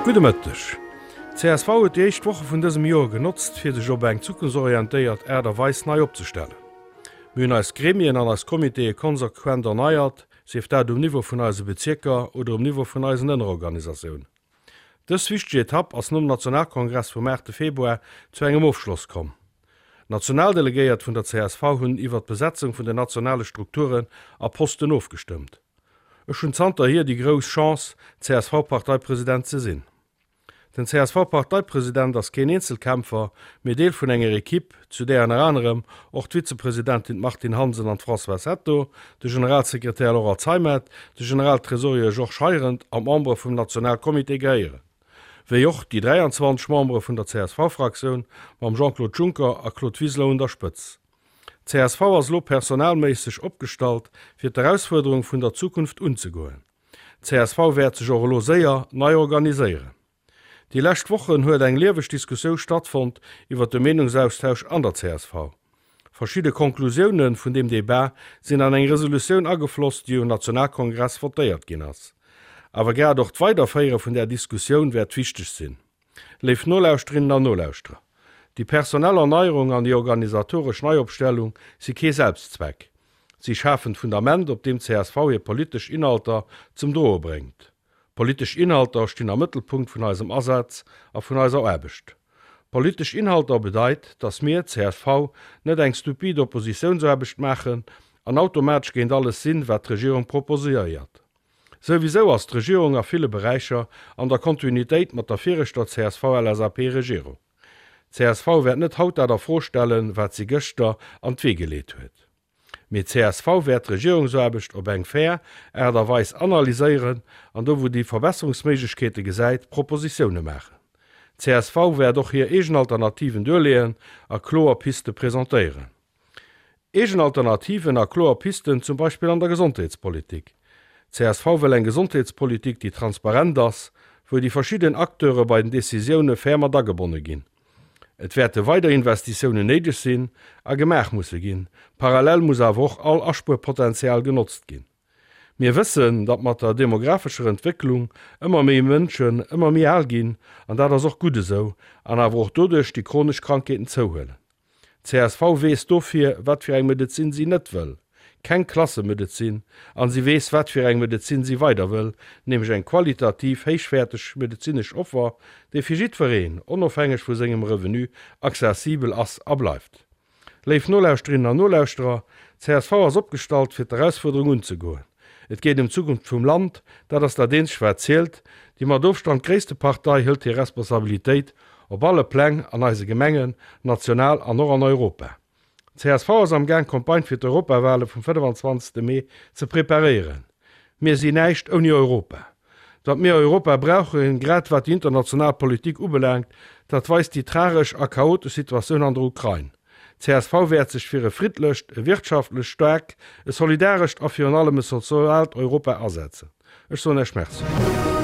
Gudde Mëtteg. Csv huet déi éischt Woche vun dësem Joer genotzt, fir sech op eng zukunftsorientéiert Aart a Weis nei opzestellen. Mir hunn eis Gremien an eis Comitéë konsequent erneiert, sief dat um Niveau vun eise Bezierker oder um Niveau vun eisen Ënnerorganisatiounen. Dës wichteg Etapp ass nom Nationalkongress vum 8 Februar zu engem Ofschloss komm. D'Nationaldelegéiert vun der csv hunn iwwer d'Besetzung vun den nationale Strukturen a Posten ofgestëmmt. Ech hunn zanterhier déi grouss Chance, CSV-Parteipresident ze sinn. Den CSV-Parteipresident ass keen Eenzelkämpfer, mee Deel vun enger Ekipp, zu där ënner anerem och d'Vizepresidentin d'Martine Hansen an d'Françoise Hetto, de Generalsekretär Laurent Zeimet, de Generaltresorier Georges Heirendt an d'Membere vum Nationalcomité gehéieren. Wéi och déi 23 Membere vun der CSV-Fraktioun mam Jean-Claude Juncker a Claude Wiseler un der Spëtz. D'CSV ass elo personalméisseg opgestallt, fir d'Erausfuerderung vun der Zukunft unzegoen. D'CSV wäert sech och elo séier nei organiséieren. Déi lescht Wochen huet eng lieweg Diskussiou stattfonnt iwwer de Meenungsaustausch an der csv. Verschidde Konklusioune vun deem Debat sinn an eng Resolutioun agefloss, déi um Nationalkongress votéiert ginn ass. Awer grad och d'Weiderféiere vun där Diskussioun wäert wichteg sinn. Léif Nolauschterinnen an Nolauschterer, déi personell Erneierung an déi organisatoresch Neiopstellung si kee Selbstzweck. Si schafen d'Fundament, op deem csv hir politesch Inhalter zum Droe bréngt. Politesch Inhalter stinn am Mëttelpunkt vun eisem Asaz a vun eiser Aarbecht. Politesch Inhalter bedeit, dass mir, csv, net eng stupid Oppositiounsaarbecht maachen an automatesch géint alles sinn, wat d'Regierung proposiéiert. Souwisou ass d'Regierung a ville Beräicher an der Kontinuitéit mat der viregter CSV-LSAP-Regierung. Csv wäert net haut dat a Fro stellen, wat si gëschter an d'Wee geleet huet. Mee csv wäert d'Regierungsaarbecht op eng fair Aart a Weis analyséieren an do wou déi Verbesserungsméiglechkeete gesäit, Propositioune maachen. Csv wäert och hir eegen Alternativen duerleeën a kloer Piste presentéieren. Eegen Alternativen a kloer Pisten zum Beispill an der Gesondheetspolitik. Csv wëll eng Gesondheetspolitik déi transparent ass, wou déi verschidden Acteure bei den Decisioune fair mat agebonne ginn. Et wäerte weider Investitiounen néideg sinn a gemaach musse ginn. Parallel muss awer och all Aspuerpotenzial genotzt ginn. Mir wëssen, datt mat der demographescher Entwécklung ëmmer méi Mënschen ëmmer méi al ginn, an dat ass och gutt esou, an awer och doduerch déi chronesch Krankheeten zouhuelen. Csv weess dofir, wat fir eng Medezin si net wëll, keng Klassemedezin, an si weess, wat fir eng Medezin si weider wëll, nämlech eng qualitativ héichwäerteg medezinesch Offer, déi fir jiddwereen, onofhängeg vu sengem Revenu, accessibel ass a bleift. Léif Nolauschterinnen an Nolauschterer, csv ass opgestallt, fir d'Erausfuerderung unzegoen. Et geet ëm d'Zukunft vum Land, dat ass dat eenzegt wat zielt. Déi mat Ofstand gréisste Partei hëlt hir Responsabilitéit op alle Pläng, an eise Gemengen, national an och an Europa. Csv ass am Gaang d'Campagne fir d'Europawale vum 25 Mee ze preparéieren. Mir si näischt ouni Europa. Datt mir Europa brauchen, grad wat déi international Politik ubelaangt, dat weist déi tragesch a chaotesch Situatioun an der Ukrain. Csv wäert sech fir e friddlecht, e wirtschaftlech staarkt, e solidarescht a virun allem e soziaalt Europa asetzen. Ech soen Iech Merci.